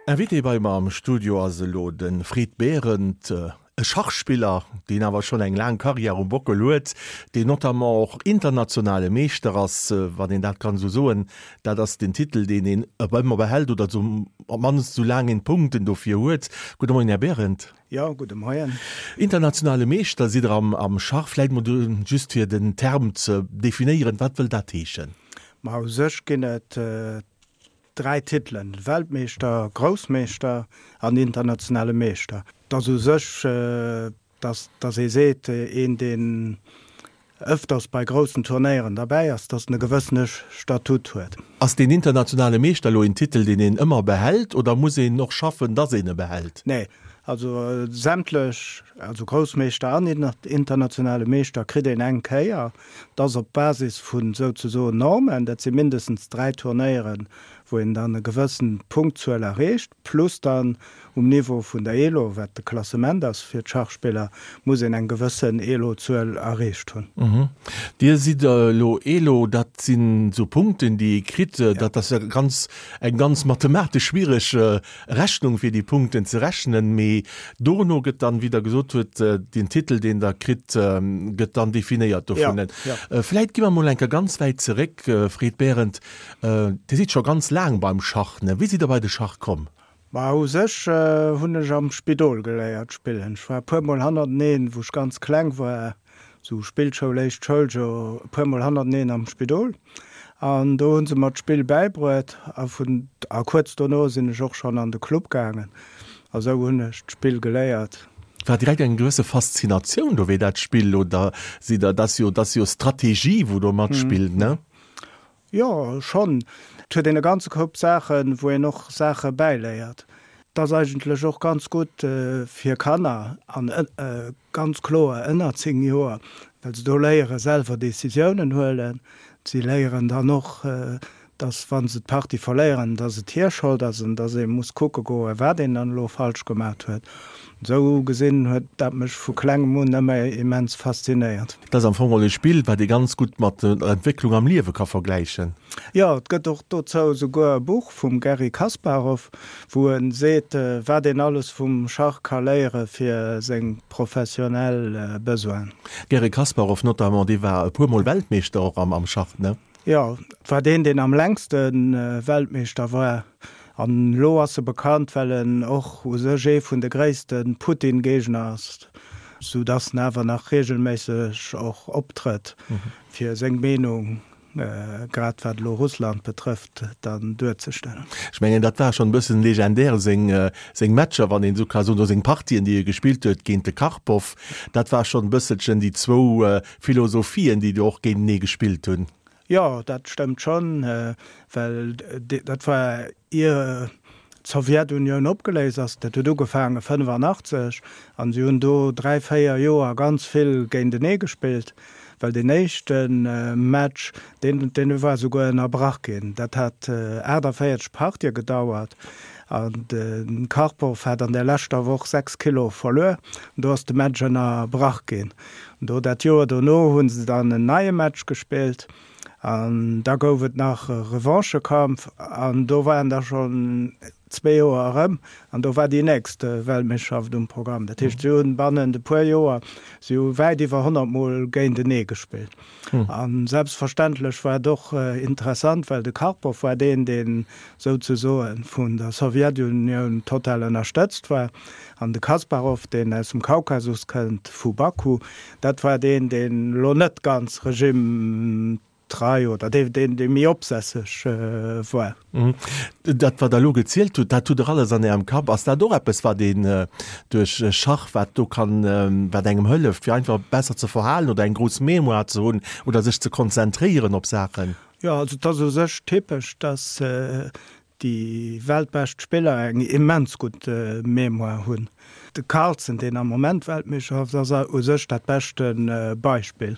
Invité bei mer am Studio ass elo de Fred Behrendt, e Schachspiller, deen awer schonn eng laang Karriär um Bockel huet, deen notamment och internationale Meeschter ass, wann een dat kann esou soen. Dat ass den Titel, deen een op ëmmer behält oder sou op d'mannst esou laang een d'Punkten dofir huet. Gudde Moien, Här Behrendt. Jo, gudde Moien. Internationale Meeschter sidd Der am Schach. Vläicht mol just fir den Term ze definéieren, wat wëll dat heeschen? Ma u sech ginn et 3 Titelen, Weltmeeschter, Groussmeeschter an internationale Meeschter. Et ass u sech, dass dass ee seet, een deen ëfters bei groussen Turnéieren derbäi ass, dass en e gewëssene Statut huet. Ass deen internationale Meeschter elo een Titel, deen een ëmmer behält oder muss een och schaffen, dass een e behält? Nee, also sämtlech, also Groussmeeschter an internationale Meeschter kritt een eng Kéier. Dat ass op Basis vu souzesoen Normen, dat si mindestens 3 Turnéieren, wou een dann e gewëssen Punktzuel erreecht, plus dann um Niveau vun der Elo, wat de Klassement ass fir d'Schachspiller, muss een eng gewëssen Elo-Zuel erreecht hunn. Dir sidd elo Elo, dat sinn esou Punkten, déi ee kritt. Dat ass e ganz, eng ganz mathematesch schwiereg Rechnung, fir déi Punkten ze rechnen. Mee dono gëtt dann, wéi Der gesot hutt, den Titel, deen Der kritt, gëtt dann definéiert dovun. Vläit gi mer mol eng Kéier ganz wäit zeréck, Fred Behrendt. Dir sidd scho ganz laang beim Schach, ne? Wéi sidd Der bei de Schach komm? Ma u sech hunn ech am Spidol geléiert spillen. Ech war e puer mol hannerteneen, wou ech ganz kleng war, sou Spillschoul, éischt Schouljoer, e puer mol hannerteneen am Spidol. An do hu se mer d'Spill bäibruet a vun a kuerz dono sinn ech och schonn an de Club gaangen. A sou hunn ech d'Spill geléiert. War direkt eng gewësse Faszinatioun do wéi dat Spill oder sidd der, dat ass jo, dat ass jo Strategie wou do matspillt, ne? Jo, schonn. Et huet een e ganze Koup Saachen, wou een och Saache bäiléiert. Et ass eigentlech och ganz gutt fir Kanner, an ganz kloer ënner 10 Joer, well se do léiere selwer Decisiounen huelen. Si léieren dann och, dass wa se d'Partie verléieren, dass et hir Schold ass an dass ee muss kucke goen, wat een dann elo falsch gemat huet. Esou gesinn huet dat mech vu klengem un ëmmer immens faszinéiert. Et ass am Fong och e Spill, wat ee ganz gutt mat der Entwécklung am Liewe ka vergläichen. Jo, et gëtt och dozou esouguer e Buch vum Garry Kasparov, wou e seet, wat een alles vum Schach ka léiere fir seng professionell Besoinen. Garry Kasparov notamment, dee war e puer Mol Weltmeeschter och am Schach, ne? Jo, et war deen, deen am längste Weltmeeschter war. An elo ass e bekannt, well en och u sech ee vun de gréisste Putin-Géigner ass, sou datt en awer nach reegelméisseg och optrëtt, fir seng Meenung, grad wat elo Russland betrëfft, dann duerzestellen. Ech mengen, dat war schonn e bëssen legendär, seng, seng Matcher, wann een esou ka soen, oder seng Partien, déi e gespillt huet géint de Karpov. Dat war schonn e bësselchen déi zwou Philosophien, déi do och géintenee gespillt hunn. Jo, dat stëmmt schonn, well dat war ier d'Sowjetunioun opgeléist ass. Dat huet ugefaange 85 an si hunn do 3, 4 Joer ganz vill géintenee gespillt, well deen éischte Match, deen deen war souguer ënnerbrach ginn. Dat hat 48 Partië gedauert an de Karpov hat an der leschter Woch 6 Kilo verluer an do ass de Match ënnerbrach ginn. Do dat Joer dono hu se dann en neie Match gespillt an da gouf et nach e Revanchekampf an do waren da schonn zwee Joer erëm an do war déi nächst Weltmeeschterschaft um Programm. Dat heescht, si hunn bannent e puer Joer, si hu wäit iwwer 100 Mol géintenee gespillt. A selbstverständlech war et och interessant, well de Karpov war deen, deen souzesoe vun der Sowjetunioun total ënnerstëtzt war. An de Kasparov, deen aus dem Kaukasus kënnt, vu Baku, dat war deen, deen elo net ganz regimetrei oder dee, dee méi opsässeg war. Dat, wat Der elo gezielt hutt, dat hutt Der alles an Ärem Kapp. Ass dat och eppes, wat een duerch Schach, wat do kann, wat engem hëlleft, fir einfach besser ze verhalen oder eng grouss Mémoire ze hunn oder sech ze konzentréieren op Saachen? Jo, also et ass u sech typesch, dass déi weltbescht Spiller eng immens gutt Mémoire hunn. De Carlsen, deen am Moment Weltmeeschter ass, ass u sech dat beschte Beispill.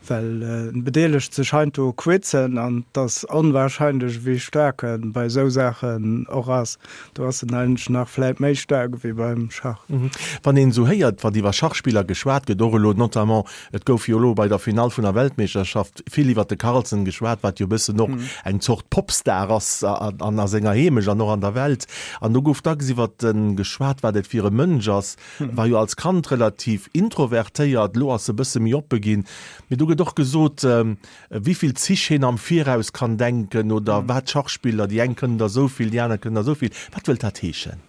Well en bedeelegt sech heiansdo u Quizen an et ass onwahrscheinlech wéi staark en bei esou Saachen och ass. Do ass en eigentlech nach vläit méi staark ewéi beim Schach. Wann een esou héiert, wat iwwer Schachspiller geschwat gëtt, och elo notamment, et gouf jo elo bei der Finall vun der Weltmeeschterschaft vill iwwer de Carlsen geschwat, wat jo e bëssen och eng Zort Popstar ass an a senger Heemecht an och an der Welt. An do gouf dacks iwwer en geschwat, wat et fir e Mënsch ass. War jo als Kand relativ introvertéiert, elo ass e bësse méi oppe ginn. Mee do gëtt och gesot, wéivill Zich hien am Viraus kann denken oder wat Schachspiller, déi eng kënnen der esou vill, déi aner kënnen der esou vill. Wat wëllt dat heeschen?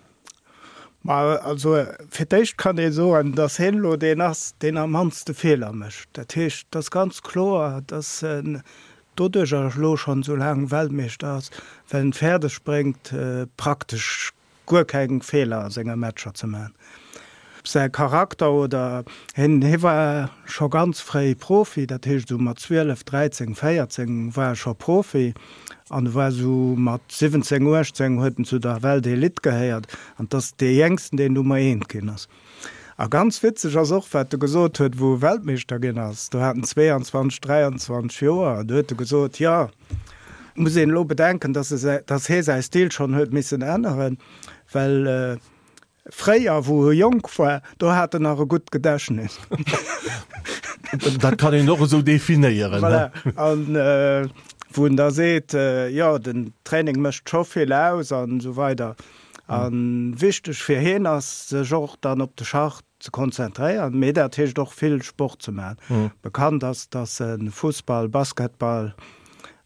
Ma also fir d'éischt kann ee soen, datt hien elo deen ass, deen am mannste Feeler mécht. Dat heescht, et ass ganz kloer, datt en doduercher elo schonn esou laang Weltmeeschter ass, well en et fäerdeg bréngt, praktesch guer keng Feeler a senge Matcher ze man. Säi Charakter oder hien, hie war scho ganz fréi Profi, dat heescht esou mat 12, 13, 14 war e scho Profi an e war esou mat 17, 18 huet en zu der Weltelite gehéiert an 't ass dee Jéngsten, deen Nummer eent ginn ass. A ganz witzeg ass och, wat e gesot huet, wou e Weltmeeschter ginn ass, do hat en 22, 23 Joer, do huet e gesot, jo, muss een elo bedenken, dass e säi, dass hee säi Stil schonn huet missen änneren, well fréier, wou e jonk war, do hat en nach e gutt Gedächtnis. Dat kann een och esou definéieren. Voilà. An wou en da seet, jo, den Training mécht scho vill aus an esou weider. A wichteg fir hien ass, sech och dann op de Schach ze konzentréieren, mee dat heescht och vill Sport ze maachen. Bekannt ass, dass e Fussball, Basketball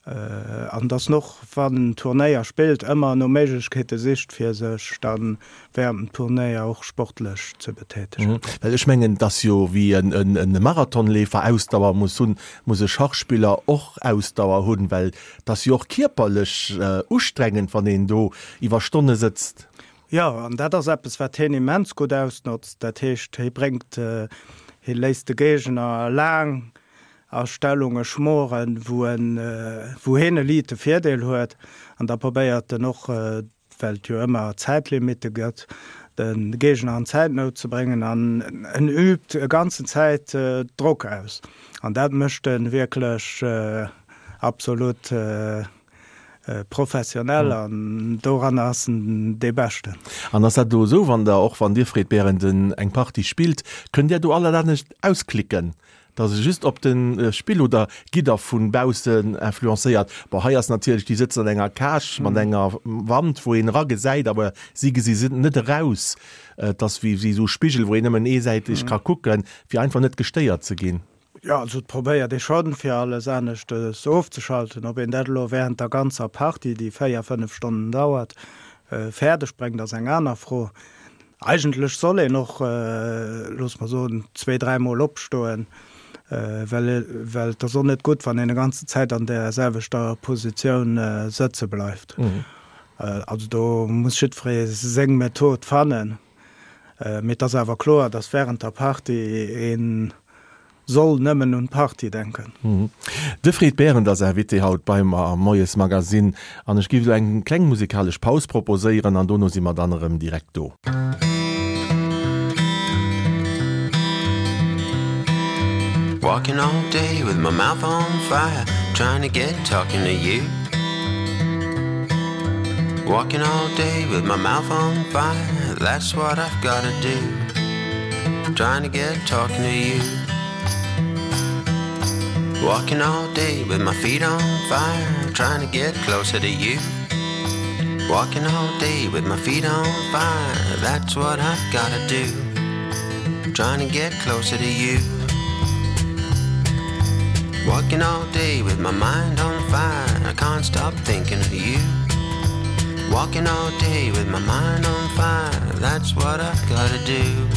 an dass en och, wann en Turnéier spillt, ëmmer no Méiglechkeete sicht, fir sech da während dem Turnéier och sportlech ze betätegen. Well ech mengen, et ass jo wéi e Marathonleefer Ausdauer muss hunn, muss e Schachspiller och Ausdauer hunn, well et ass jo och kierperlech ustrengend, wann een do iwwer Stonne sëtzt. Jo, an dat ass eppes, wat hien immens gutt ausnotzt. Dat heescht, hie bréngt, hie léisst de Géigner laang a Stellunge schmoren, wou en, wou hien e liite Virdeel huet. An da probéiert en och, well et jo ëmmer Zäitlimitte gëtt, de Géigner an Zäitnout ze bréngen. An en übt e ganzen Zäit Drock aus. An dat mécht e wierklech absolut. Professionell an doranner ass en dee Beschten. An ass dat elo esou, wann der, och wann Dir Fred Berenden eng Partie spillt, kënnt Där do alles anescht ausklicken, dass e just op de Spill oder gitt Der vu baussen influencéiert? Bon, hei ass natierlech, déi sëtzen an enger Cage mat enger Wand, wou een eragesäit, awer si gesi se net eraus. Et ass wéi esou Spigel, wou een nëmmen eesäiteg ka kucken, fir einfach net gestéiert ze ginn. Jo, also et probéiert ee schonn, fir alles aneschtes ofzeschalten. Ob een dat elo während der ganzer Partie, déi 4, 5 Stonnen dauert, fäerdeg bréngt, ass eng aner Fro. Eigentlech soll een och, loosse mer soen, zwee, dräimol opstoen, well well et ass och net gutt, wann een e ganze Zäit an där selwechter Positioun sëtze bleift. Also do muss jiddweree seng Method fannen. Mee et ass awer kloer, datt wärend der Partie ee soll nëmmen un d'Partie denken. De Fred Berend ass Invité haut bei mer am Moiesmagazine an ech géif elo eng kleng musikalesch Paus proposéieren an dono si mer dann erëm direkt do. Walking all day with my mouth on fire, trying to get talking to you. Walking all day with my mouth on fire, that's what I've gotta do. Trying to get talking to you. Walking all day with my feet on fire, trying to get closer to you. Walking all day with my feet on fire, that's what I've gotta do. Trying to get closer to you. Walking all day with my mind on fire, I can't stop thinking of you. Walking all day with my mind on fire, that's what I've gotta do.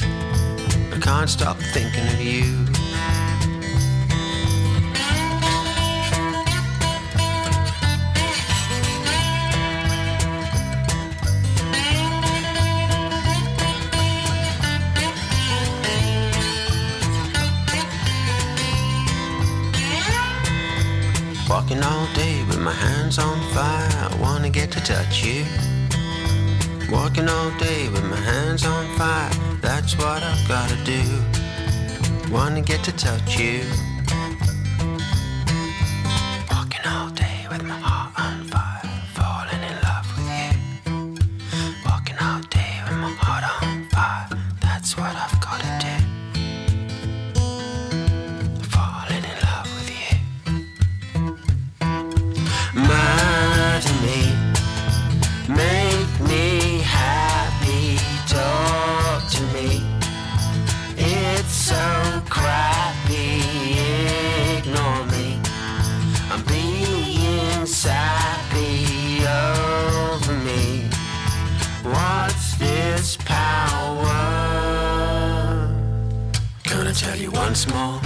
I can't stop thinking of you. Walking all day with my hands on fire, I wanna get to touch you. Walking all day with my hands on fire, that's what I've gotta do. Wanna get to touch you. tell you once more.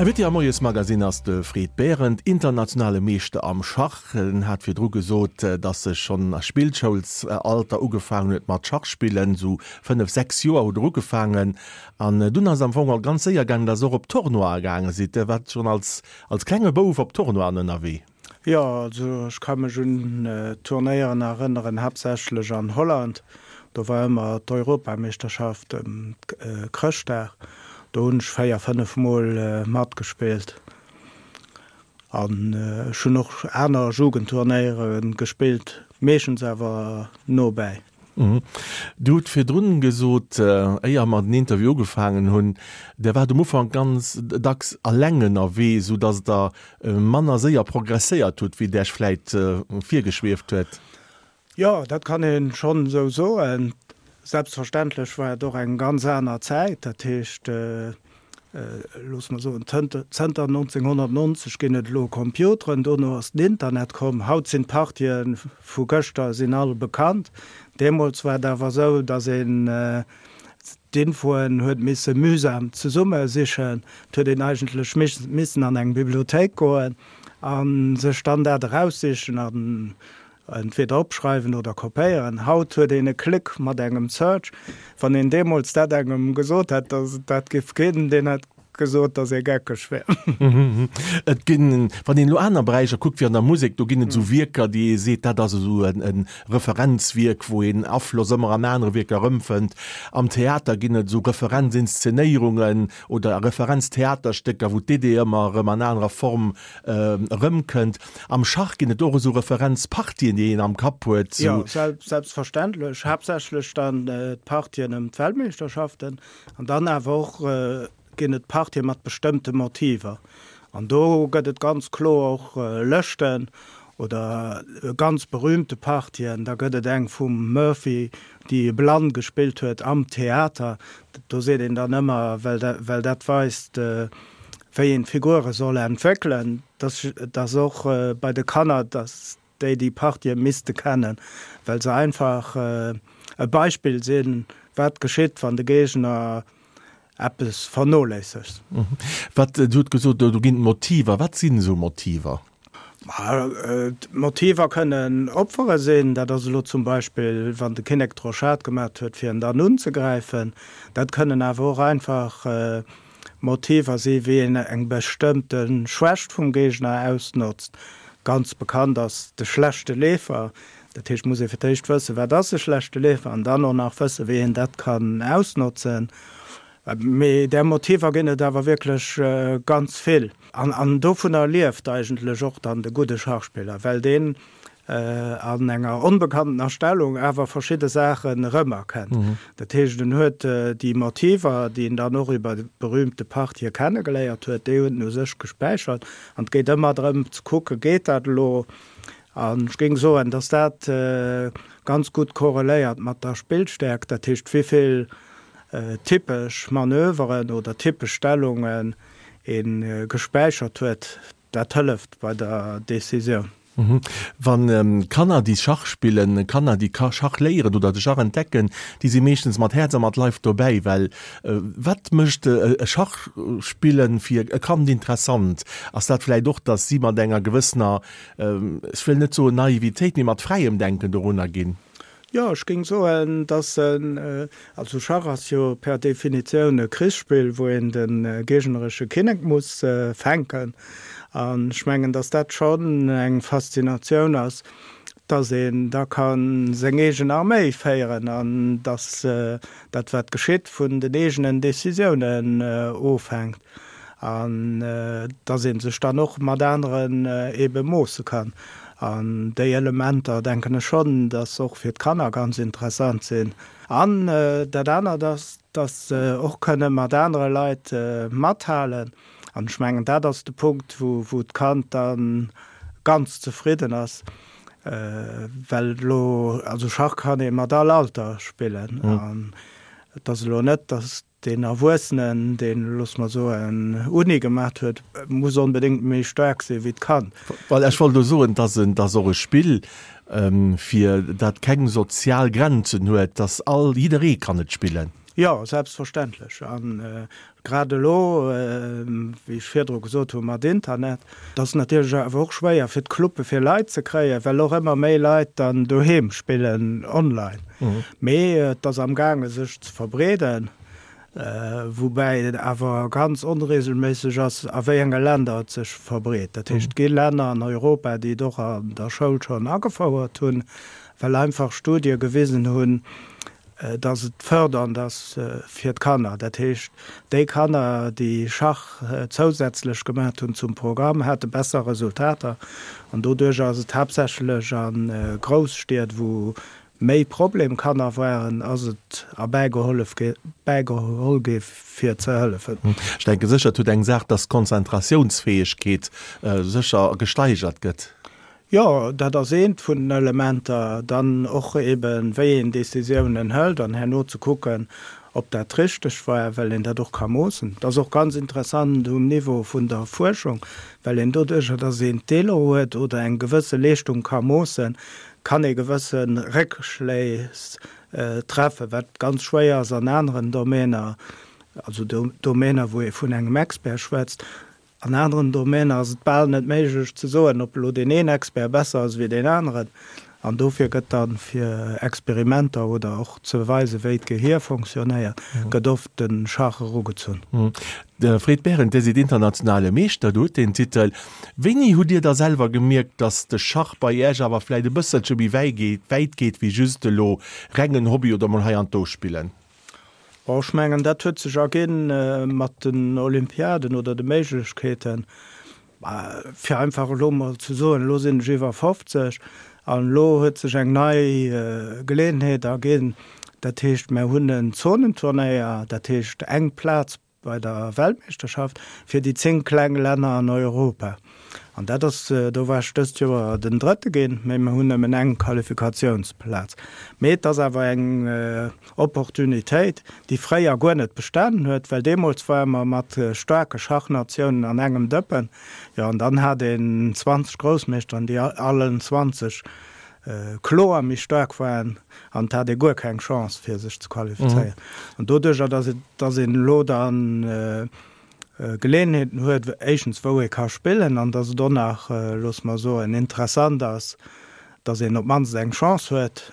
Invité am Moiesmagazine ass de Fred Berend, internationale Meeschter am Schach. En hat virdru gesot, datt e schonn a Spillschoulsalter ugefaangen huet mat Schach spillen, esou 5, 6 Joer hutt Der ugefaangen. An dunn ass et am Fong och ganz séier gaangen, datt Der och op Tournoie gaange sidd. Der waart schonn als als klenge Bouf op Tournoien ënnerwee. Jo, also ech ka mech un Turnéieren erënneren, haaptsächlech an Holland. Do war ëmmer d'Europameeschterschaft ëm Chrëschtdag. Do hunn ech 4, 5 Mol matgespillt. An ech hunn och aner Jugendturnéiere gespillt, meeschtens awer nobäi. Dir hutt virdrun gesot, éier mer den Interview ugefaangen hunn, Der waart um Ufank ganz dacks eleng ënnerwee, sou datt Der manner séier progresséiert hutt, wéi et Iech vläit virgeschwieft huet. Jo, dat kann ee schonn esou soen. Selbstverständlech war et och eng ganz aner Zäit. Dat heescht, loosse mer soen, zënter 1990 ginn et elo Computeren, dono ass den Internet komm. Haut sinn d'Partië vu gëschter sinn all bekannt. Deemools war et awer esou, datt een d'Infoen huet misse mühsam zesummesichen. Et huet een eigentlech missen an eng Bibliothéik goen a sech dann dat eraussichen an Entweder opschreiwen oder kopéieren. Haut huet een e Klick mat engem Search. Wann een deemools dat engem gesot hätt, datt et dat giff ginn, deen hätt gesot, datt ee geckeg wär. Et ginn, wann een elo aner Beräicher kuckt, wéi an der Musek, do ginn et esou Wierker, déi ee seet, dat ass esou e Referenzwierk, wou een Afloss ëmmer an anere Wierker erëmfënnt. Am Theater ginn et esou Referenzinszenéierungen oder Referenztheaterstécker, wou d'Idee ëmmer erëm an anerer Form erëmkënnt. Am Schach ginn et och esou Referenzpartien, déi een am Kapp huet. Jo, selbstverständlech. Haaptsächlech dann d'Partien ëm d'Weltmeeschterschaften an dann awer och ginn et Partien mat bestëmmte Motiver. An do gëtt et ganz kloer och Lëschten oder ganz berühmte Partien. Da gëtt et eng vum Murphy, déi e blann gespillt huet am Theater. Do seet een dann ëmmer, well dat weist, wéi een d'Figure soll entwéckelen, dass dass och bei de Kanner, dass déi déi Partië misste kennen, well se einfach e Beispill sinn, wat geschitt, wann de Géigner eppes vernoléissegt. Wat, Dir hutt gesot, do ginn et Motiver. Wat sinn esou Motiver? D'Motiver kënnen Opfere sinn. Dat ass elo zum Beispill, wann de Kinnek d'Rochade gemat huet, fir en dann unzegräifen. Dat kënnen awer och einfach Motiver si wéi een eng bestëmmte Schwächt vum Géigner ausnotzt. Ganz bekannt ass de schlechte Leefer. Dat heescht, muss ee fir d'éischt wëssen, wat ass e schlechte Leefer an dann och nach wëssen, wéi een dat kann ausnotzen. Mee där Motiver ginn et awer wierklech ganz vill. An dovunner lieft eigentlech och dann de gudde Schachspiller, well deen an enger onbekanntener Stellung awer verschidde Saachen erëmerkennt. Dat heescht, en huet déi Motiver, déi en dann och iwwer berühmte Partië kennegeléiert huet, déi huet en u sech gespäichert. An et geet ëmmer drëm ze kucken, geet dat elo? An ech géing soen, datt dat ganz gutt korreléiert mat der Spillstäerkt, dat heescht, wéi vill typesch Manöveren oder typesch Stellungen ee gespäichert huet, dat hëlleft bei der Decisioun. Wann Kanner, déi Schach spillen, Kanner, déi Schach léieren oder de Schach entdecken, déi si meeschtens mat Häerz a mat Leif dobäi. Well wat mécht e Schachspillen fir e Kand interessant? Ass dat vläicht och, datt si mat enger gewëssener, ech wëll net soen Naivitéit, mee mat fräiem Denken dorunner ginn? Jo, ech géing soen, dass en, also Schach ass jo per Definitioun e Krichsspill, wou een de géigneresche Kinnek muss fänken. An ech mengen, dass dat schonn eng Faszinatioun ass, dass een da ka seng eegen Arméi féieren an dass dat, wat geschitt, vun den eegenen Decisiounen ofhänkt an dass ee sech dann och mat aneren eebe moosse kann. An déi Elementer, denken ech schonn, dass och fir d'Kanner ganz interessant sinn. An dat anert ass, dass se och kënne mat anere Leit mathalen. An ech mengen, dat ass de Punkt, wou d'Kand da ganz zefridden ass, well elo, also Schach kann ee mat all Alter spillen. An et ass elo net, dass Deen Erwuessenen, deen, loosse mer soen, Uni gemaat huet, muss onbedéngt méi staark si wéi d'Kand. Well ech wollt elo soen, dass en, dass och e Spill, fir dat keng sozial Grenzen huet, dass all, jidderee kann et spillen. Jo, selbstverständlech. A grad elo, wéi ech virdru gesot hu mat Internet, et ass natierlech awer och schwéier fir d'Cluppe fir Leit ze kréien, well och ëmmer méi Leit dann doheem spillen online. Mee et ass amgaange sech ze verbreeden, woubäi et awer ganz onreegelméisseg ass, a wéi enge Länder et sech verbreet. Dat heescht, et gi Länner an Europa, déi et och an der Schoul schonn agefouert hunn, well einfach Studie gewisen hunn, dass et fërdernd ass fir d'Kanner. Dat heescht, déi Kanner, déi Schach zousätzlech gemat hunn zum Programm, hate besser Resultater. An doduerch ass et haaptsächlech a Grousstied, wou méi Problemkanner waren, ass et erbäigehollef bäigeholl gi fir ze hëllefen. Ech denke sécher, et huet eng Saach, dass d'Konzentratiounsfäegkeet sécher gesteigert gëtt. Jo, dat ass eent vun den Elementer. Dann och eben, wéi een Décisiounen hëlt an herno ze kucken, ob dat richteg war, well een dat och ka moossen. Dat ass och ganz interessant um Niveau vun der Fuerschung, well een doduercher, dass een d'Elo huet oder eng gewësse Leeschtung ka moossen, kann ee gewësse Réckschléss treffen, wat ganz schwéier ass an aneren Domäner, also Domäner, wou ee vun engem Expert schwätzt. An aneren Domäner ass et bal net méiglech ze soen, ob elo deen een Expert besser ass wéi deen aneren. An dofir gëtt dann, fir Experimenter oder och ze weisen, wéi d'Gehier fonctionnéiert, gëtt oft de Schach erugezunn. De Fred Berend, Dir sidd internationale Meeschter, Dir hutt deen Titel. Wéini hutt Dir da selwer gemierkt, datt de Schach bei Iech awer vläicht e bësselche méi wäit geet wéi just elo rengen Hobby oder mol hei an do spillen? Bon, ech mengen, dat huet sech erginn mat den Olympiaden oder de Méiglechkeeten, fir einfach elo mol ze soen, elo sinn ech iwwer 50 an elo huet sech eng nei Geleeënheet erginn. Dat heescht, mer hunn en Zonenturnéier, dat heescht eng Plaz bei der Weltmeeschterschaft fir déi 10 kleng Länner an Europa. An dat ass, do war ech dëst Joer den Drëtte ginn, mee mer hunn nëmmen eng Qualifikatiounsplaz. Mee et ass awer eng Opportunitéit, déi fréier guer net bestanen huet, well deemools ware mer mat staarke Schachnatiounen an engem Dëppen. Jo, an dann hat een 20 Groussmeeschteren, déi allen 20 kloer méi staark waren an et hat ee guer keng Chance fir sech ze qualifizéieren. An doduercher, datt et, datt een elo dann Geleeënheeten huet, éischtens wou ee ka spillen an datt et och nach, loosse mer soen, interessant ass, datt een op d'mannst eng Chance huet,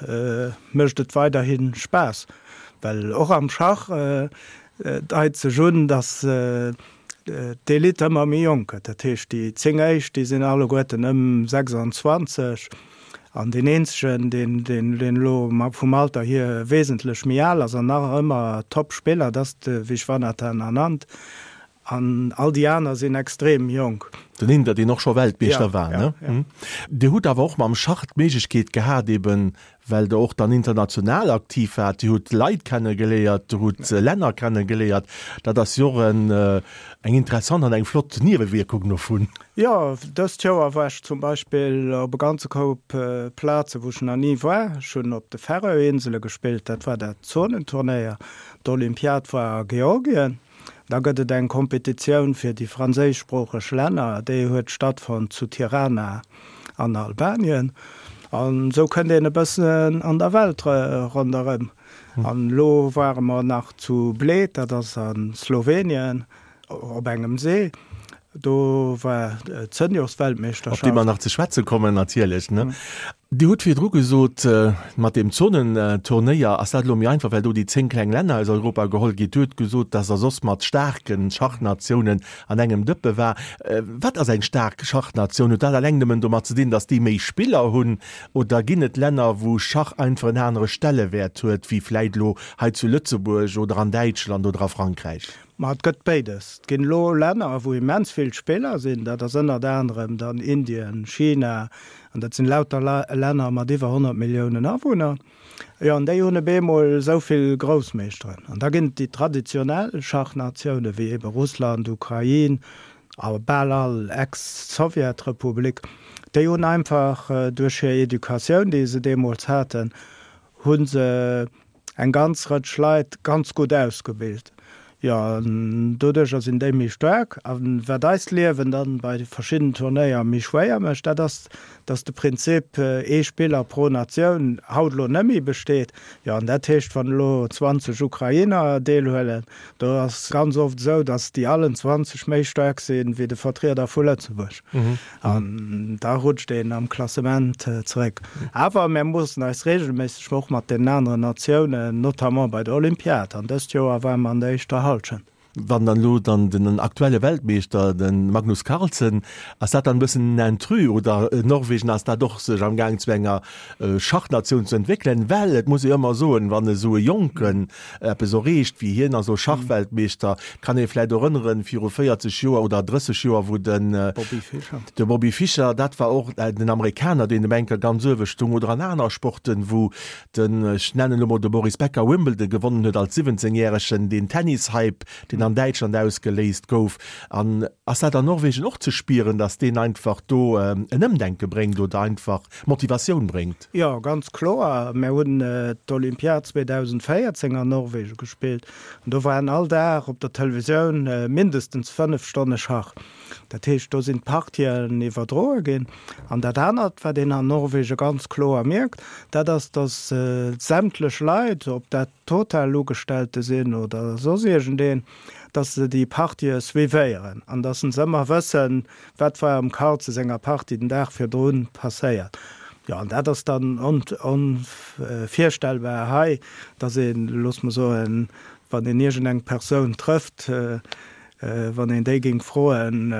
mécht et weiderhi Spaass. Well och am Schach deit sech un, datt d'Elite ëmmer méi jonk gëtt. Dat heescht, déi 10 éischt, déi sinn alleguerten ëm 26 an deen eenzegen, deen deen elo vum Alter hier wesentlech méi al ass an nach ëmmer Top-Spiller, dat ass de Vishwanathan Anand. An all déi aner sinn extrem jonk. Den Inder, deen och scho Weltmeeschter war, ne? Dir hutt awer och mam Schach d'Méiglechkeet gehat, eben well Der och dann international aktiv waart, Dir hutt Leit kennegeléiert, Dir hutt Länner kennegeléiert. Dat ass jo och eng interessant an eng flott Niewewierkung dovun. Jo, dëst Joer war ech zum Beispill op e ganze Koup Plaze wou ech nach ni war. Ech hunn op de Färöerinsele gespillt, dat war dat Zonenturnéier. D'Olympiad war a Georgien. Da gëtt et eng Kompetitioun fir déi franséischsproocheg Länner, déi huet stattfonnt zu Tirana. An Albanien. An esou kënnt een e bëssen an der Welt ronderëm. An elo ware mer nach zu Bled, dat ass a Slowenien, op engem See. Do war d'Seniorsweltmeeschterschaft. Op déi mer nach ze schwätze kommen natierlech. Dir hutt virdru gesot, mat deem Zonenturnéier ass dat elo méi einfach, well do déi 10 kleng Länner aus Europa geholl ginn. Dir hutt gesot, dass Der soss mat staarke Schachnatiounen an engem Dëppe war. Wat ass eng staark Schachnatioun? Huet dat alleng nëmmen domat ze dinn, dass déi méi Spiller hunn? Oder ginn et Länner, wou Schach einfach en anere Stellewäert huet, wéi vläit elo hei zu Lëtzebuerg oder an Däitschland oder a Frankräich? Ma et gëtt béides. Et ginn elo Länner, wou immens vill Spiller sinn. Dat ass ënnert anerem dann Indien, China, an dat sinn lauter Länner mat iwwer 100 Milliounen Awunner. Jo, an déi hunn op eemol esou vill Groussmeeschteren. An da ginn et déi traditionell Schachnatioune wéi ebe Russland, Ukrain a bal all Ex-Sowjetrepublik. Déi hunn einfach duerch hir Educatioun, déi se deemools haten, hu se eng ganz Rëtsch Leit ganz gutt ausgebilt. Jo, an doduercher sinn déi méi staark. A wat eist Liewen dann bei verschiddenen Turnéier méi schwéier mécht, dat ass, dass de Prinzip ee Spiller pro Natioun haut elo net méi besteet. Jo, an dat heescht, wann elo 20 Ukrainer deelhuelen, do ass ganz oft esou, dass déi allen 20 méi staark sinn wéi de Vertrieder vu Lëtzebuerg. An da rutscht een am Klassement zeréck. Awer mär moossen eis reegelméisseg och mat deenen aneren Natiounen, notamment bei der Olympiad. An dëst Joer ware mer an der éischter Hallschent. Wann dann elo dann den aktuelle Weltmeeschter, de Magnus Carlsen, ass dat dann e bëssen en Intrus oder Norwegen ass dat och sech am Gaang zu enger Schachnatioun ze entwéckelen? Well et muss ee jo ëmmer soen, wann esou e Jonken eppes erreecht wéi hien, also Schachweltmeeschter, kann ee vläit erënneren, viru 40 Joer oder 30 Joer, wou den Bobby Fischer, de Bobby Fischer, dat war och den Amerikaner, deen um Enker ganz uewe stung, oder an aner Sporten, wou den, ech nennen elo mol de Boris Becker, Wimbledon gewonnen huet als 17 Järegen, deen Tennishype, deen an Däitschland ausgeléist gouf. An ass dat an Norwegen och ze spieren, datt deen einfach do en Ëmdenke bréngt oder einfach Motivatioun bréngt? Jo, ganz kloer. Mär hunn d'Olympiad 2014 an Norwegen gespillt an do waren all Dag op der Televisioun mindestens 5 Stonne Schach. Dat heescht, do sinn d'Partien iwwerdroe ginn. An dat anert, wat een an Norwegen ganz kloer mierkt, dat ass, datt sämtlech Leit, ob dat Total-Ugestellte sinn oder soss iergendeen, datt se déi Partië suivéieren an datt se ëmmer wëssen, Wat war am Carlsen senger Partie den Dag virdrun passéiert? Jo, an dat ass dann onvirstellbar hei, dass een, looss mer soen, wann een iergendeng Persoun trëfft, wann een déi géing froen,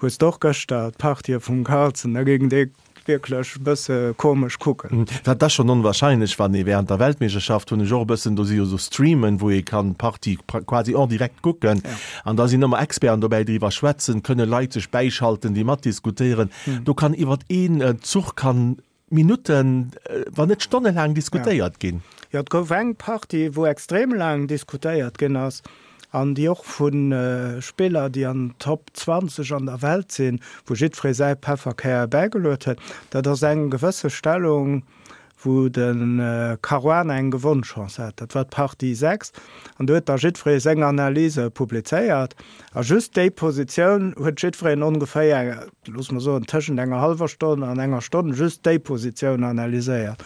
Hues de och gëschter d'Partie vum Carlsen? Da géing dee wierklech e bësse komesch kucken. Dat ass schonn onwahrscheinlech, wann ee während der Weltmeeschterschaft, hunn ech och e bëssen, do si jo esou Streamen, wou ee kann d'Partie quasi en direct kucken an da sinn ëmmer Experten dobäi, déi driwwer schwätzen, kënne Leit sech bäischalten, déi matdiskutéieren. Do kann iwwert een Zuch kann Minutten, wann net stonnelaang diskutéiert ginn. Jo, et gouf eng Partie, wou extrem laang diskutéiert ginn ass. An déi och vu Spiller, déi an Top 20 an der Welt sinn, wou jiddweree säi Pefferkär bäigeluet huet. Dat ass eng gewësse Stellung, wou de Caruana eng Gewonnchance hat. Dat war d'Partie 6. An do huet da jiddweree seng Analyse publizéiert. A just déi Positioun huet jiddwereen ongeféier, loosse mer soen, tëschent enger hallwer Stonn an enger Stonn just déi Positioun analyséiert.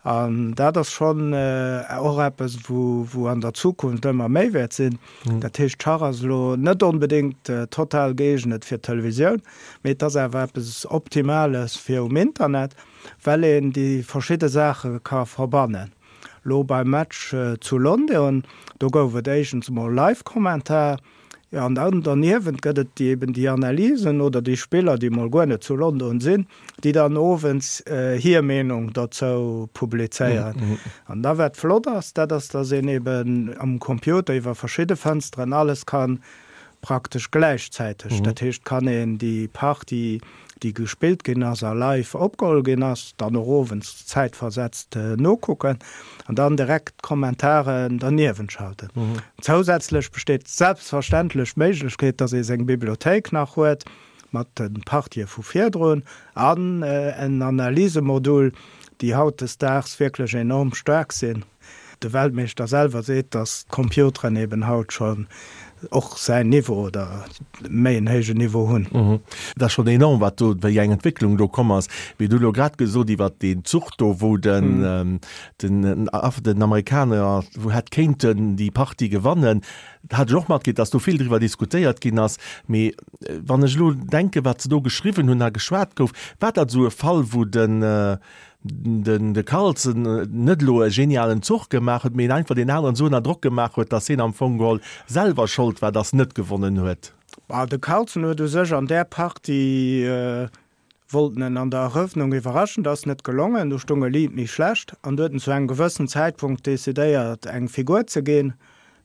An dat ass schonn och eppes, wou an der Zukunft ëmmer méi wäert sinn. Dat heescht, Schach ass elo net onbedéngt total gëeegnet fir d'Televisioun, mee et ass awer eppes Optimales fir um Internet, well een déi verschidde Saache ka verbannen. Elo beim Match zu London, do gouf et éischtens emol Live-Kommentar, Jo, an dann derniewent gëtt et déi eben déi Analysen oder déi Spiller, déi mol guer net zu London sinn, déi dann owends hir Meenung dozou publizéieren. An da wat flott ass, dat ass, datt een eben am Computer iwwer verschidde Fënsteren alles kann praktesch gläichzäiteg, dat heescht, kann een déi Partie, déi gespillt ginn ass a live opgeholl ginn ass, dann och owends zäitversetzt nokucken an dann direkt d'Kommentaren derniewent schalten. Zousätzlech besteet selbstverständlech d'Méiglechkeet, dass ee seng Bibliothéik nach huet mat de Partië vu virdrun an en Analysemodul, déi hautdesdaags wierklech enorm staark sinn. De Weltmeeschter selwer seet, datt d'Computeren eben haut scho. Och säin Niveau oder méi en héijen Niveau hunn. Et ass schonn enorm, wat do, wéi eng Entwécklung do komm ass. Mee du elo grad gesot iwwert deen Zuch do, wou den, den, den Amerikaner wou hätt kéinten déi Partie gewannen, hat ech och matkritt, datt do vill driwwer diskutéiert ginn ass. Mee wann ech elo denken, wat se do geschriwwen hunn a geschwat gouf, war dat esou e Fall, wou den, den de Carlsen net elo e genialen Zuch gemaach huet, mee en einfach deen aneren esou ënner Drock gemaach huet, datt hien am Fong geholl selwer Schold war, datt en net gewonnen huet. Bah, de Carlsen huet u sech an där Partie, wollt en an der Erëffnung iwwerraschen, dat ass net gelongen, do stung e liit méi schlecht an du huet en zu engem gewëssen Zäitpunkt decidéiert eng Figur ze ginn,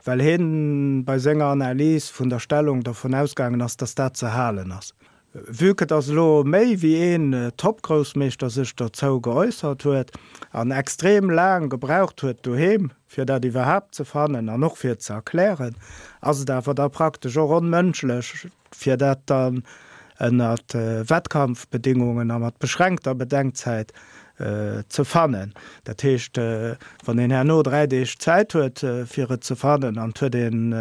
well hien bei senger Analys vun der Stellung dervun ausgaangen ass, datt dat ze halen ass. Vue que dass elo méi wéi een Top-Groussmeeschter sech dozou geäussert huet an extrem laang gebraucht huet doheem fir dat iwwerhaapt ze fannen an och fir et ze erklären, ass et awer da praktesch och onmënschlech fir dat dann ënnert Wettkampfbedingungen a mat beschränkter Bedenkzäit ze fannen. Dat heescht, wann een herno 3 Deeg Zäit huet fir et ze fannen an et huet een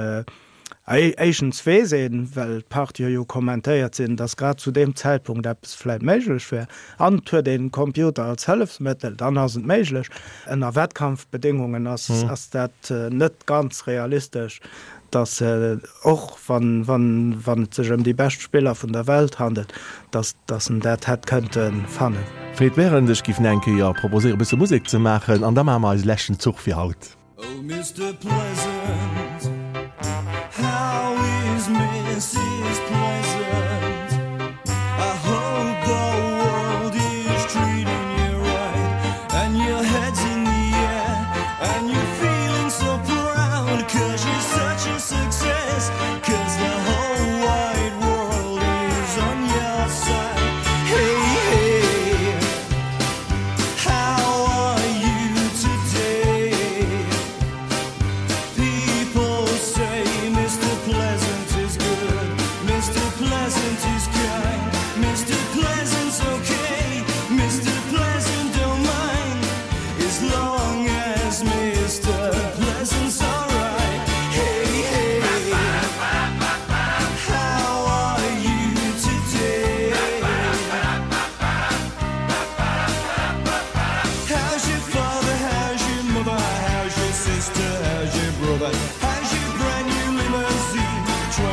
Éischtens weess een, well d'Partië jo kommentéiert sinn, dass grad zu deem Zäitpunkt eppes vläit méiglech wär. An et huet een den Computer als Hëllefsmëttel, dann ass et méiglech. Ënner Wettkampfbedéngungen ass ass dat net ganz realistesch, dass och wann wann wann et sech ëm déi bescht Spiller vun der Welt handelt, dass dass en dat hätt kënnte fannen. Fred Berend, Ech giff eng Kéier proposéieren e bësse Musek ze maachen an da maache mer eise leschten Zuch fir haut. Oh Mister Pleasant, how is Mrs. Pleasant? I hope the world is treating you right And your head's in the air and you're feeling so proud Cause you're such a success Cause the whole wide world is on your side Hey, hey How are you today? People say Mr. Pleasant is good, Mr. Pleasant is kind, Mr. Pleasant's okay, Mr. Pleasant don't mind, as long as Mr. Pleasant's alright. Hey, hey, how are you today? How's your father, how's your mother, how's your sister, how's your brother, how's your brand new limousine, 24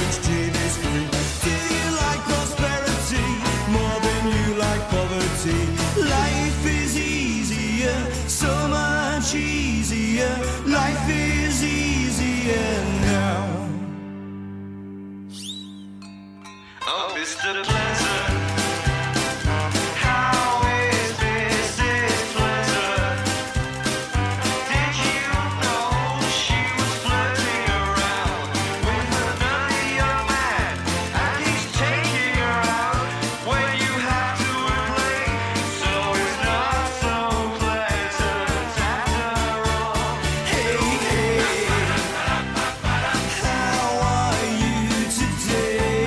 inch TV screen? Do you like prosperity more than you like poverty? Life is easier, so much easier, life is easier now. Oh, Mr. Pleasant, how is Mrs. Pleasant? Did you know she was flirting around with another young man? And he's taking her out when you have to play. So it's not so pleasant after all. Hey, hey. How are you today?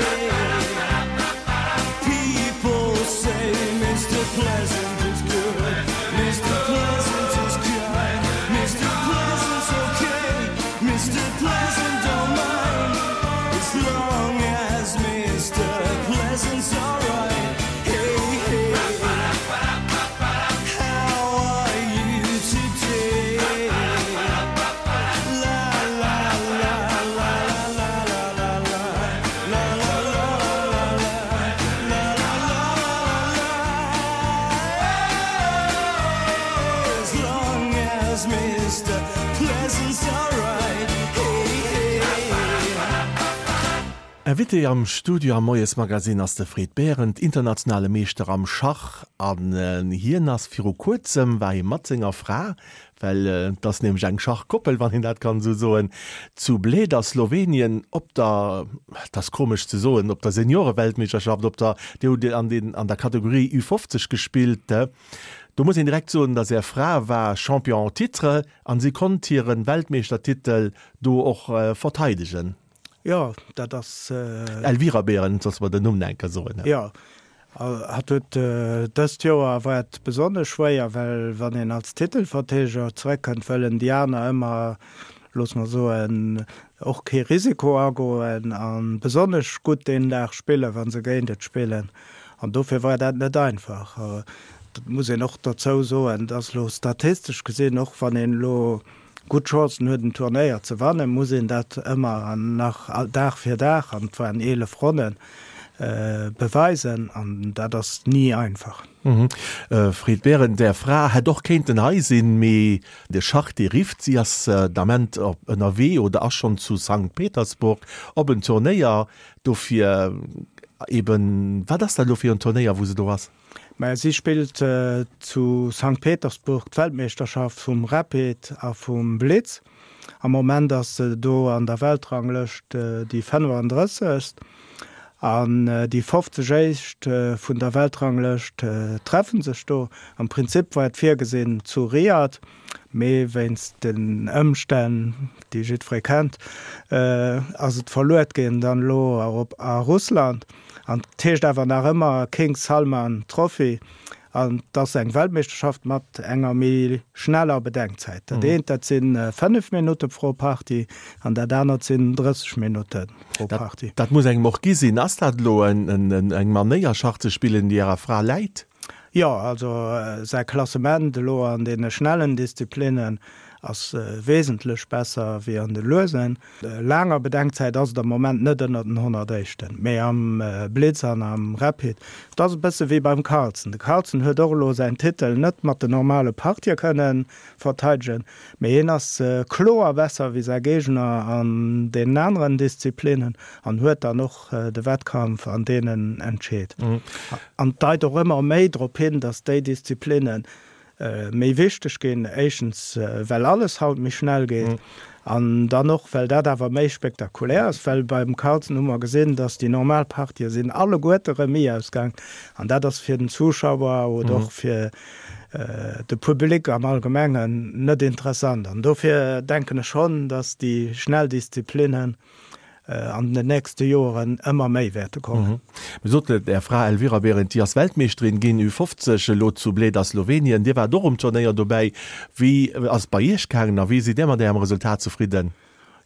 People say Mr. Pleasant is good, Mr. Pleasant is kind, Mr. Pleasant's okay, Mr. Pleasant don't mind, as long as Mr. Pleasant's alright. Hey, hey, how are you today? La la la la la la la la la la la la la la la As long as Mr. Pleasant's alright, hey hey. Invité am Studio am Moiesmagazin ass de Fred Berend, internationale Meeschter am Schach. An hien ass viru kuerzem, war hie mat senger Fra, well et ass nämlech eng Schachkoppel, wann een dat kann esou soen, zu Bled a Slowenien op der, et ass komesch ze soen, op der Senioreweltmeeschterschaft, op der, déi hutt Dir an den, an der Kategorie U50 gespillt. Do muss een direkt soen, dass Är Fra war Champion en titre an si konnt hiren Weltmeeschtertitel do och verteidegen. Jo, dat ass. Elvira Behrendt, sollst mer den Numm nach eng Kéier soen. Jo, hatt huet dëst Joer war et besonnesch schwéier, well wann een als Titelverteedeger zeréckkënnt, wëllen déi aner ëmmer, loosse mer soen, och kee Risiko agoen a besonnesch gutt deen Dag spillen, wa se géint et spillen. An dofir war dat net einfach. Dat muss een och dozou soen, dass elo statistesch gesinn, och wann een elo gutt Chancen huet en Turnéier ze wannen, muss een dat ëmmer nach Dag fir Dag, an et waren 11 Ronnen, beweisen an dat ass ni einfach. Fred Berend, Är Fra hätt och kéinten hei sinn, mee de Schach dee rifft. Si ass d'Ament ënnerwee oder ass schonn zu Sankt Petersburg op en Turnéier. Dofir eben, wat ass dat elo fir en Turnéier wou se do ass? Maja, si spillt zu Sankt Petersburg d'Weltmeeschterschaft vum Rapid a vum Blitz. Am Moment ass se do an der Weltranglëscht déi 35. An déi 50 éischt vun der Weltranglëscht treffe sech do. Am Prinzip war et virgesinn zu Riyadh, mee wéinst den Ëmstänn, déi jiddweree kennt, ass et verluet ginn dann elo op a Russland. An et heescht awer nach ëmmer King Salman Trophy. An et ass eng Weltmeeschterschaft mat enger méi schneller Bedenkzäit. Dat eent, dat si 5 Minutte pro Partie an dat anert sinn 30 Minutte pro Partie. Dat muss engem och gi sinn. Ass dat elo eng Manéier Schach ze spillen, déi Ärer Fra läit? Jo, also säi Klassement elo an deene schnellen Disziplinnen ass wesentlech besser wéi an de luesen. Laanger Bedenkzäit ass et am Moment net ënner den 100 Éischten, mee am Blitz an am Rapid. Et ass e bësse wéi beim Carlsen. De Carlsen huet och elo säin Titel net mat den normale Partië kënne verteidegen, mee hien ass kloer besser wéi säi Géigner an deenen aneren Disziplinnen an huet dann och de Wettkampf an deenen entscheet. An et deit och ëmmer méi drop hin, datt déi Disziplinnen méi wichteg ginn, éischtens well alles haut méi schnell geet an dann och well dat awer méi spektakulär ass, well beim Carlsen hu mer gesinn, datt déi normal Partië sinn alleguerte Remis ausgaang an dat ass fir den Zuschauer oder och fir de Public am Allgemengen net interessant an dofir denken ech schonn, datt déi schnell Disziplinnen an den nächste Joeren ëmmer méi wäerte kommen. Mir soten et, Är Fra Elvira Berend, déi ass Weltmeeschterin ginn, Ü50, elo zu Bled a Slowenien. Dir waart och um Turnéier dobäi. Wéi ass et bei Iech gaangen a wéi sidd Dir mat Ärem Resultat zefridden?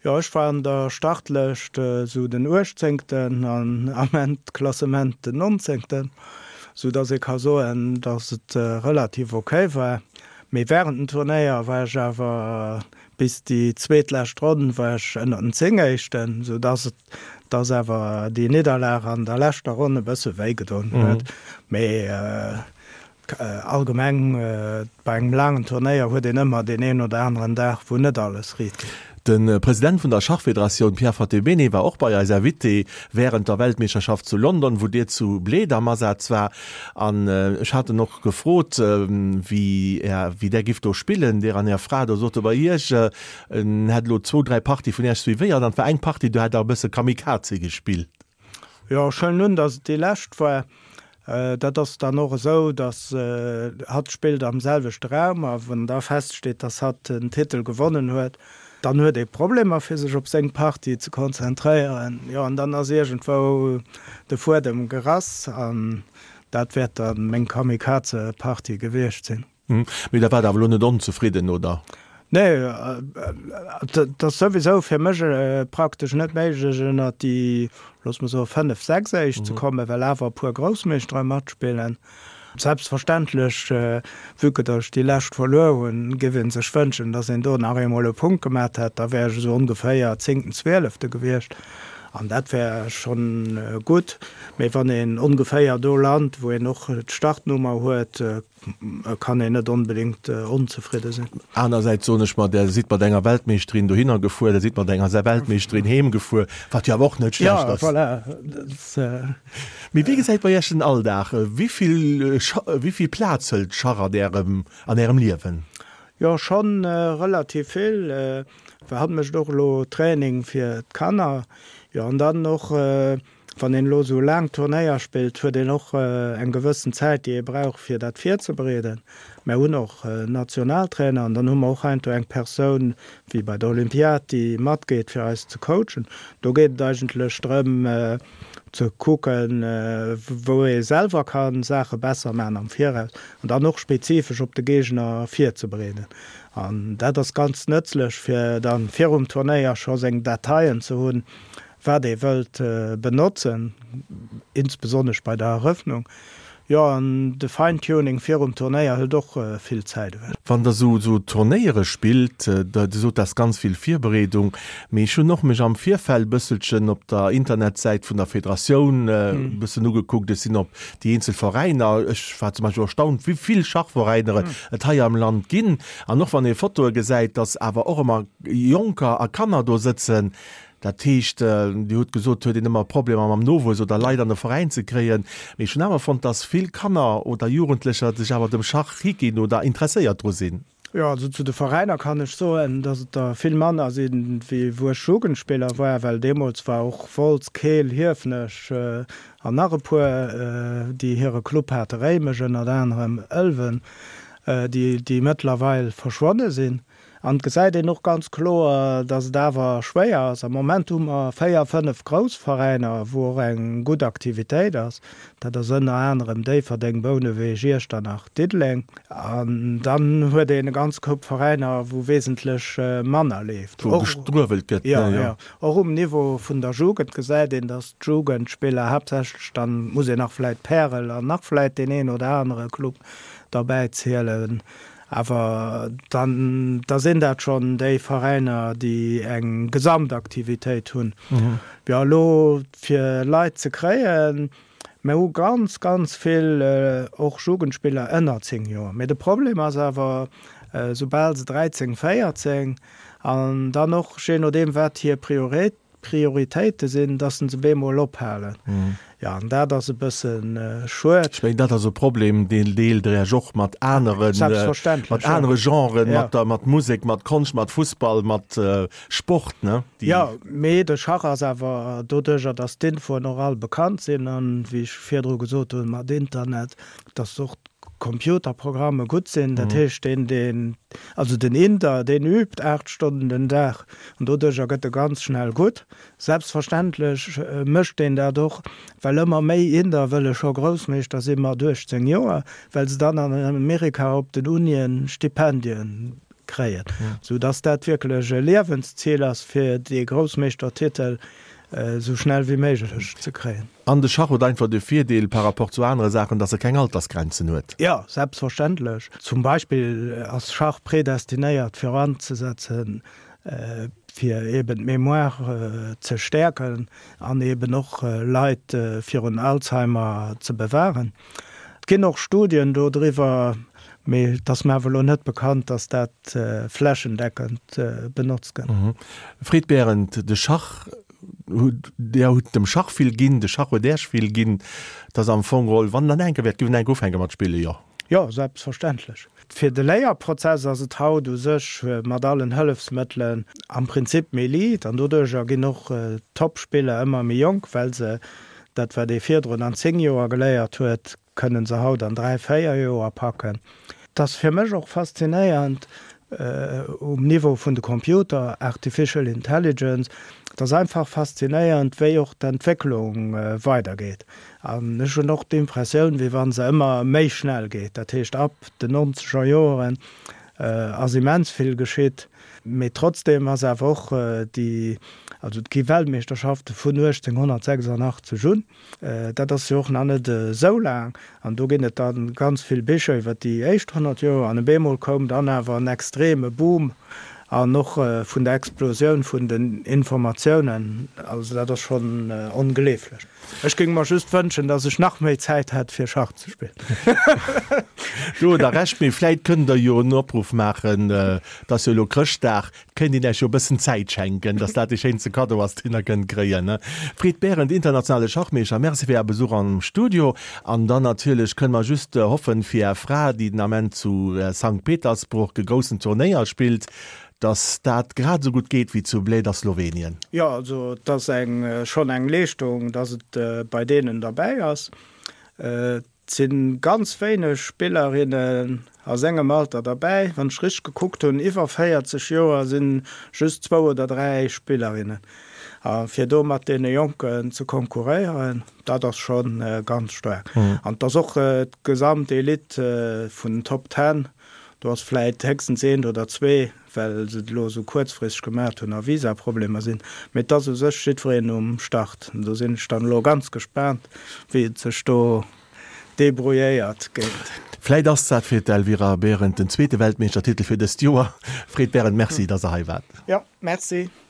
Jo, ech war an der Startlëscht esou den Uechtzéngten an am Endklassement den Nonzéngten, esou datt ee ka soen, datt et relativ ok war. Mee wärend dem Turnéier war ech awer Bis déi zweetlescht Ronn war ech ënner den 10 Éischten, sou dass et dass awer déi Nidderlag an der leschter Ronn e bësse wéi gedoen huet. Mee allgemeng bei engem laangen Turnéier huet een ëmmer deen een oder aneren Dag, wou net alles riit geet. De President vun der Schachfederatioun Pierre Fattebene war och bei eis Invité wärend der Weltmeeschterschaft zu London, wou Dir zu Bled am Asaz war. An ech hat en och gefrot, wéi Är, wéi Der giff do spillen, Dir an Är Fra. Do sot e bei Iech, en hätt elo zwou, dräi Partie vun Iech suivéiert an et war eng Partie, do hätt Der e bësse Kamikaze gespillt. Jo, ech huelen un, datt et déi lescht war. Dat ass dann och esou, datt hatt spillt am selwechte Raum a wann da feststeet, datt hatt den Titel gewonnen huet, dann huet ee Problemer fir sech op seng Partie ze konzentréieren. Jo, an dann ass iergendwou de Fuedem gerass an dat wäert da meng Kamikaze-Partie gewiescht sinn. Mee da waart awer elo net onzefridden, oder? Nee, et ass souwisou fir mech praktesch net méiglech ënnert déi, loosse mer soen, 5, 6 éischt ze kommen, well awer e puer Groussmeeschtere matspillen. Selbstverständlech, vue que datt ech déi lescht verluer hunn, géif ee sech wënschen, datt een do nach eemol e Punkt gemat hätt. Da wär ech esou ongeféier zéngten, zwielefte gewiescht an dat wär schonn gutt. Mee wann een ongeféier do lant, wou een och d'Startnummer huet, kann een net onbedéngt onzefridde sinn. Anersäits soen ech mer, Der sidd mat enger Weltmeeschterin dohinner gefuer, Der sidd mat enger Weltmeeschterin heem gefuer, wat jo awer och net schlecht ass. Jo, voilà. Mee wéi gesäit bei Iech den Alldag? Wéi vill, wéi vill Plaz hëlt Schach an Ärem, an Ärem Liewen? Jo, schonn relativ vill. Well hatt mécht och elo Training fir d'Kanner. Jo, an dann och. Wann een elo esou laang Turnéier spillt, huet een och eng gewëssen Zäit, déi ee brauch, fir dat virzebereeden. Mär hunn och Nationaltrainer an dann hu mer och heiansdo eng Persoun, wéi bei der Olympiad, déi matgeet, fir eis ze coachen. Do geet et eigentlech drëm, ze kucken, wou ee selwer ka Saache besser maachen am Viraus an dann och spezifesch op de Géigner virzebereeden. An dat ass ganz nëtzlech, fir da virum Turnéier scho seng Dateien ze hunn, wat ee wëllt benotzen, insbesonnesch bei der Erëffnung. Jo, an de Fine-Tuning virum Turnéier hëlt och vill Zäit ewech. Wann Der esou esou Turnéiere spillt, Der sot, dat ass ganz vill Virbereedung, mee ech hunn och mech am Virfeld bësselchen op der Internetsäit vun der Federatioun e bëssen ugekuckt, ech sinn op déi eenzel Veräiner, ech war zum Beispill erstaunt, wéi vill Schachveräiner et hei am Land ginn. An och wann ee Fotoe gesäit, dass awer och ëmmer Jonker a Kanner do sëtzen, Dat heescht, Dir hutt gesot, et huet een ëmmer Problemer mam Nowuess oder Leit an de Veräin ze kréien. Mee ech hunn awer fonnt, dass vill Kanner oder Jugendlecher sech awer dem Schach higinn oder interesséiert dru sinn. Jo, also zu de Veräiner kann ech soen, dass et der vill manner sinn, wéi wou ech Jugendspiller war, well deemools war och Wolz, Keel, Hiefenech an nach e puer, déi hire Club hate, Réimech ënnert anerem, Ëlwen, déi mëttlerweil verschwonne sinn. An et gesäit een och ganz kloer, datt et awer schwéier ass. Am Moment hu mer 4, 5 grouss Veräiner, wou och eng gutt Aktivitéit ass. Dat ass ënner anerem Déifferdeng, Bouneweg, Iechternach, Diddeleng. An dann huet een e ganz Koup Veräiner, wou wesentlech manner leeft. Wou gestruewelt gëtt, ne? Jo, jo. Och um Niveau vun der Jugend gesäit een, datt d'Jugendspiller haaptsächlech, dann muss een nach vläit Pärel an nach vläit deen een oder anere Club derbäizielen, Awer dann, da sinn dat schonn déi Veräiner, déi eng Gesamtaktivitéit hunn. Jo, elo fir Leit ze kréien, mir hu ganz, ganz vill och Jugendspiller ënner 10 Joer. Mee de Problem ass awer, soubal se 13, 14 an dann och jee nodeem wat hir Prioritéit, Prioritéite sinn, dass se bemol ophalen. Jo, an dat ass e bësse schued. Ech mengen, dat ass e Problem, deen deelt Der Iech och mat aneren, Selbstverständlech, mat anere Genren, mat der, mat Musek, mat Konscht, mat Fussball, mat Sport, ne? Déi. Jo, mee de Schach ass awer doduerjer, dass d'Infoen och all bekannt sinn an, wéi ech virdru gesot hunn, mat Internet, dass och d'Computerprogramme gutt sinn. Dat heescht, deen, deen, also den Inder, deen übt 8 Stonnen den Dag an doduercher gëtt e ganz schnell gutt. Selbstverständlech mécht deen dat och, well ëmmer méi Inder wëlle scho Groussmeeschter si mat 18 Joer, well se dann an Amerika op den Unien Stipendien kréien, sou dass dat wierklech e Liewenszil ass, fir dee Groussmeeschtertitel esou schnell wéi méiglech ze kréien. An de Schach huet einfach de Virdeel par rapport zu anere Saachen, dass e keng Altersgrenzen huet. Jo, selbstverständlech. Zum Beispill ass Schach predestinéiert fir anzesetzen, fir eben d'Mémoire ze stäerken an eben och Leit virun Alzheimer ze bewahren. Et ginn och Studien do driwwer, mee et ass mir awer elo net bekannt, dass dat flächendeckend benotzt gëtt. Fred Berend, De Schach Der hutt dem Schach vill ginn, de Schach huet Äech vill ginn. Et ass am Fong geholl, wann Der enke wäert, giff en enke ufänke mat spillen, jo? Jo, selbstverständlech. Fir de Léierprozess ass et haut u sech mat allen Hëllefsmëttelen am Prinzip méi liit an doduercher ginn och d'Topspiller ëmmer méi jonk, well se dat, wat ee virdrun an 10 Joer geléiert huet, kënnen se haut an 3, 4 Joer packen. Et ass fir mech och faszinéiernd um Niveau vun de Computer, Artificial Intelligence, et ass einfach faszinéiernd, wéi och d'Entwécklung weidergeet. An ech hunn och d'Impressioun, wéi wa se ëmmer méi schnell geet. Dat heescht, ab den nonzeger Joeren ass immens vill geschitt, mee trotzdeem ass awer och déi, also et gi Weltmeeschterschafte vun 1886 un, Dat ass jo och nach net esou laang. An do ginn et da ganz vill Bicher iwwer déi éischt 100 Joer. An op eemol koum dann awer en extreme Boom an och vun der Explosioun vun den Informatiounen. Also dat ass schonn ongleeflech. Ech géing mer just wënschen, datt ech nach méi Zäit hätt, fir Schach ze spillen. Do hutt Der Recht. Mee vläit kënnt Der jo en Opruff maachen, et ass jo elo Chrëschtdag, Kéint een Äech jo e bëssen Zäit schenken, dass dat dee schéinste Kaddo ass, deen Der kënnt kréien. Fred Berend, internationale Schachmeeschter, Merci fir Är Besuch am Studio. An dann natierlech kënne mer just hoffen fir Är Fra, déi den Ament zu Sankt Petersburg e groussen Turnéier spillt. Datt dat grad esou gutt geet wéi zu Bled a Slowenien. Jo, also et ass eng schonn eng Leeschtung, datt et bei deenen derbäi ass. Et si ganz wéineg Spillerinnen a sengem Alter derbäi. Wann ech richteg gekuckt hunn, iwwer 40 Joer si just zwou oder dräi Spillerinnen. A fir do mat deene Jonken ze konkurréieren, dat ass scho ganz staark. An et ass och d'gesamt Elite vun den Top Ten, Do ass vläit héchstens eent oder zwee, well se et elo esou kuerzfristeg gemaacht hunn a Visaproblemer sinn. Mee et ass u sech jiddwereen um Start. Do sinn ech dann elo ganz gespaant, wéi et sech do debrouilléiert géint. Vläit ass dat fir d'Elvira Behrendt den zweete Weltmeeschtertitel fir dëst Joer. Fred Behrendt, Merci, dass Der hei waart. Jo, Merci.